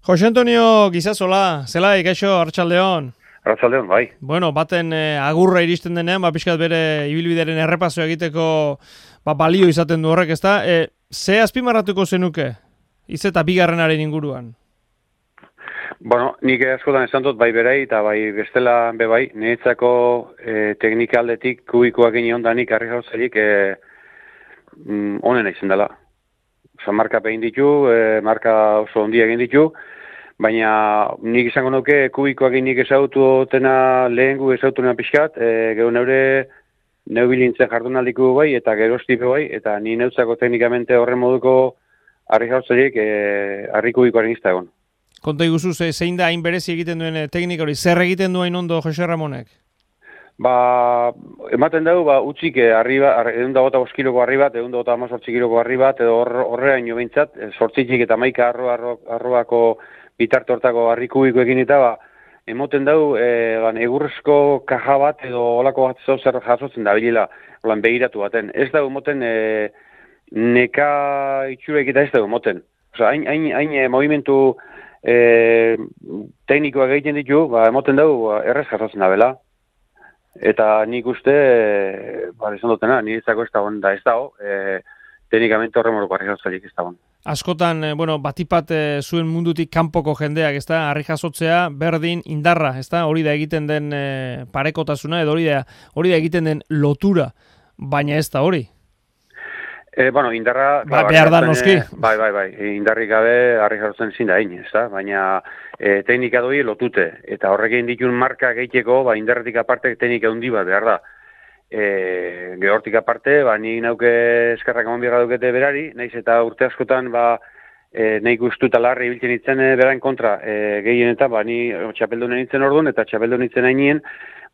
Jose Antonio Gizazola, zela ikaixo, arratsaldeon. Arratsaldeon, bai. Bueno, baten agurra iristen denean, pixkat bere ibilbidearen errepaso egiteko balio izaten du horrek, ezta? Ze azpimarratuko zenuke? Iz eta bigarrenaren inguruan. Bueno, nik askotan esan dut bai berai eta bai bestela be bai, niretzako teknika aldetik kubikoak egin ondanik harri jauzailik onena izan dela. Osa, marka egin ditu, marka oso ondia egin ditu, baina nik izango nuke kubikoak egin nik ezaututena lehengu ezaututena pixkat, gero neu bilintzen jardunaldiko bai eta gerostipe bai, eta ni neutzako teknikamente horren moduko harri jauzailik harri kubikoaren izta egon. Konta iguzu, zein da hain berezi egiten duen teknika hori, zer egiten duen ondo Jose Ramonek? Ematen dugu, utzik arriba, 125 kiloko harri bat, 118 kiloko harri bat, edo horrean jo behintzat, sortzitzik eta maika arroako bitarte hortako harri kubikoekin eta emoten dugu, egurrezko kaja bat edo olako bat zer jasotzen da bilela, begiratu baten. Ez dugu emoten neka itxurek eta ez dugu emoten. Osa, hain movimentu teknikoak egiten ditu, emoten dugu errez jasotzen da bela. Eta nik uste, esan dutena, niretzako ez dagoen da ez dago, teknikamente horre moruko harri jasotzailik ez dagoen. Askotan, batipat zuen mundutik kanpoko jendeak, ez da, harri jasotzea berdin indarra, ez da, hori da egiten den parekotasuna, edo hori da egiten den lotura, baina ez da hori. Indarra... behar da noski. Bai, indarrik gabe harri jasotzen ezin da egin, ez da, baina teknika doi lotute, eta horrekin ditun marka gehitzeko, indarretik aparte teknika handi bat behar da. Gehortik aparte, ni nauke eskarrak amon biarra dukete berari, naiz eta urte askotan, nahi guztu eta larri ibiltzen itzen berain kontra gehien eta, ni txapeldunen itzen orduan, eta txapeldunen itzen hainien,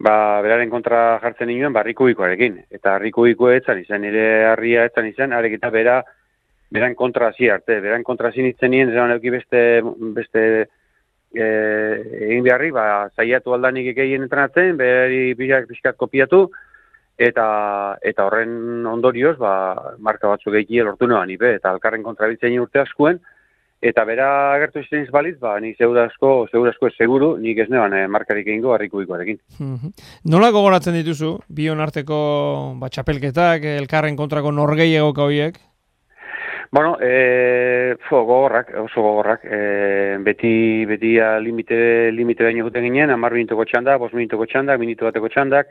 beraren kontra jartzen nioen, harri kubikoarekin. Eta harri kubikoa etzan izan, nire harria etzan izan, arek eta beran kontra hasi arte. Beran kontra hasi nintzen nien, zelan euki beste egin beharri, zaiatu aldanik egin entrenatzen, berari pixkat kopiatu, eta horren ondorioz, marka batzuk egitea lortu noan, eta alkarren kontra biltzen urte askuen, eta bera agertu izan izbaliz, ni segurasko ez seguru, nik ez neban markarik egingo harri kubikoarekin. Nola gogoratzen dituzu, bion arteko txapelketak, elkarren kontrako norgehiagoka horiek? Bueno, oso gogorrak. Beti limite baino guten ginen, 10 minutuko txandak, 5 minutuko txandak, minutu bateko txandak,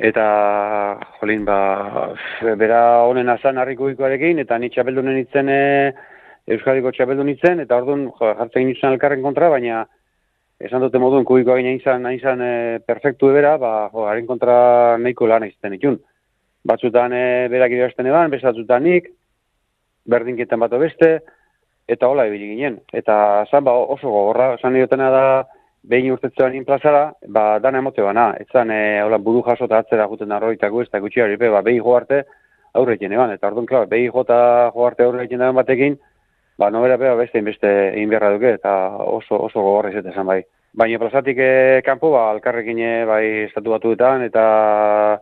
eta, bera honen azan harri kubikoarekin, eta ni txapeldunen itzen, Euskadiko txapeldun itzen, eta orduan jartzen ginen izan elkarren kontra, baina esan dute moduen kubikoa ginen izan perfektu ebera, haren kontra nahiko lan izten itun. Batzutan berak idazten eban, bezatzutan nik, berdinketan bat beste, eta hola ebili ginen. Eta zan oso gogorra, esan niotena da, behin urtetzean inplazara, dana emote bana. Etzan buru jaso eta atzera juten arroitako ez, eta gutxi hori, behi jo arte aurrekin eban. Eta orduan, klar, behi jo arte aurrekin eban batekin, nobera beste egin beharra duke, eta oso gogorra izate esan bai. Baina plazatik kanpo, alkarrekin estatu batuetan, eta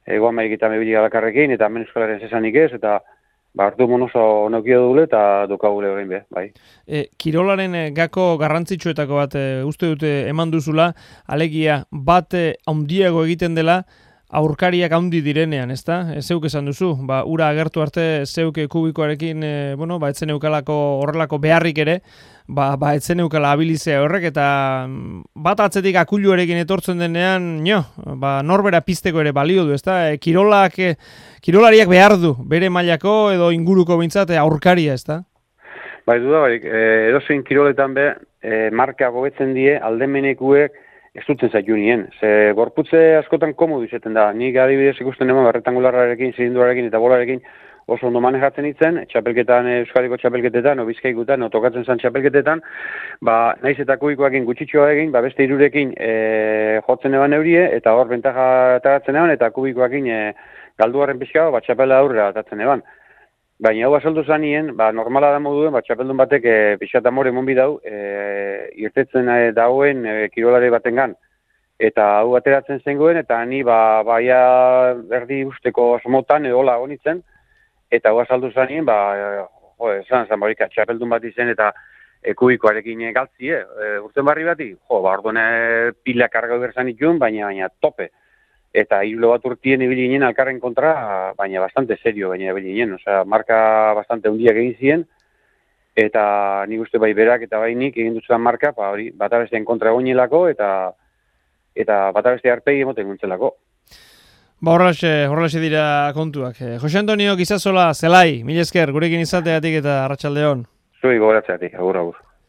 egoan maikitan ebilik alkarrekin, eta hemen Euskalaren zesanik ez, eta hartu oso neukio dugule, eta dukagule egin be, bai. Kirolaren gako garrantzitsuetako bat uste dute eman duzula, alegia bat handiago egiten dela, aurkariak handi direnean, ezta? Zeuk esan duzu, ura agertu arte zeuk kubikoarekin, etzen eukalako horrelako beharrik ere, etzen eukala abilizea horrek, eta bat atzetik akuluarekin etortzen denean, norbera pizteko ere balio du, ezta? Kirolariak behar du, bere mailako edo inguruko bintzat aurkaria, ezta? Dudabarik, edozein kiroletan marka gobetzen die aldemenekuek ez duten zaitu nien. Gorputze askotan komodu izaten da. Nik adibidez ikusten eman rectangularrarekin, zilindurarekin eta bolarekin oso ondo manejatzen itzen, txapelketan, Euskadiko txapelketetan, Bizkaikutan, tokatzen zan txapelketetan, naiz eta kubikoakin gutxitxoa egin, beste hirurekin jotzen eban eurie, eta hor bentaja ataratzen eban, eta kubikoakin galduaren pixka, txapela aurrera atatzen eban. Baina hau azaldu zanien, normala da moduen, txapeldun batek pixat amore monbi dau, irtetzen dauen kirolare batengan. Eta hau ateratzen zengoen, eta ni baia erdi usteko asmotan edola agonitzen, eta hau azaldu zanien, esan barik txapeldun bat izen, eta kubikoarekin galtzie, urten barri bati, orduan pila karga berzan itun, baina tope. Eta hirulo bat urtien ibili ginen alkarren kontra, baina bastante serio baina ibili ginen. Osea, marka bastante hundiak egin ziren, eta nik uste bai berak eta bai nik egin dutzuan marka, hori, bata besteen kontra egonelako, eta bata beste arpegi emoten guntzelako. Ba, horrelaxe dira kontuak. Jose Antonio Gizasola, zelai, mila esker, gurekin izateatik eta arratsaldeon. Zui gogoratzeatik, agur.